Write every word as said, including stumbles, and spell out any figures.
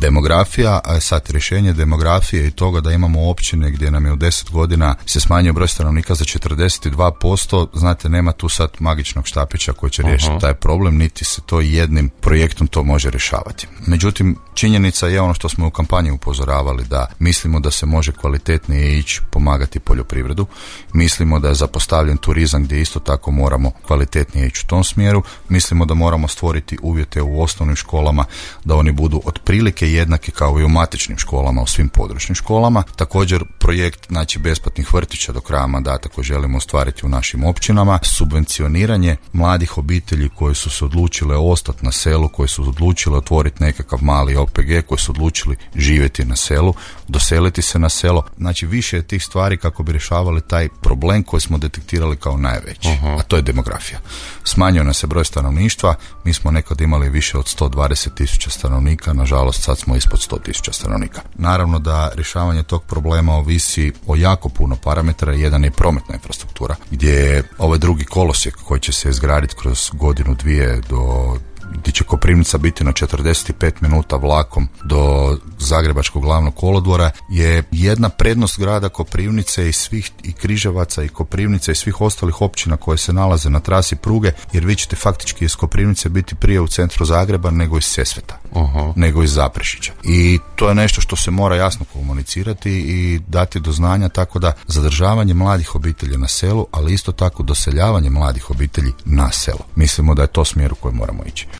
demografija, a sad rješenje demografije i toga da imamo općine gdje nam je u deset godina se smanjio broj stanovnika za četrdeset dva posto, znate, nema tu sad magičnog štapića koji će riješiti uh-huh. taj problem, niti se to jednim projektom to može rješavati. Međutim, činjenica je ono što smo u kampanji upozoravali, da mislimo da se može kvalitetnije ići pomagati poljoprivredu, mislimo da je zapostavljen turizam gdje isto tako moramo kvalitetnije ići u tom smjeru, mislimo da moramo stvoriti uvjete u osnovnim školama da oni budu otprilike jednaki kao i u matičnim školama u svim područnim školama. Također projekt, znači, besplatnih vrtića do kraja mandata koji želimo ostvariti u našim općinama, subvencioniranje mladih obitelji koji su se odlučile ostati na selu, koji su odlučile otvoriti nekakav mali O P G, koji su odlučili živjeti na selu, doseliti se na selo. Znači, više je tih stvari kako bi rješavali taj problem koji smo detektirali kao najveći, uh-huh. a to je demografija. Smanjio nas se broj stanovništva, mi smo nekad imali više od sto dvadeset tisuća stanovnika, nažalost sad smo ispod sto tisuća stanovnika. Naravno da rješavanje tog problema ovisi o jako puno parametara, jedan je prometna infrastruktura, gdje je ovaj drugi kolosijek koji će se izgraditi kroz godinu, dvije do gdje će Koprivnica biti na četrdeset pet minuta vlakom do Zagrebačkog glavnog kolodvora, je jedna prednost grada Koprivnice i svih i Križevaca i Koprivnice i svih ostalih općina koje se nalaze na trasi pruge, jer vi ćete faktički iz Koprivnice biti prije u centru Zagreba nego iz Sesveta, uh-huh. nego iz Zaprešića. I to je nešto što se mora jasno komunicirati i dati do znanja, tako da zadržavanje mladih obitelji na selu, ali isto tako doseljavanje mladih obitelji na selo. Mislimo da je to smjer u kojem moramo ići.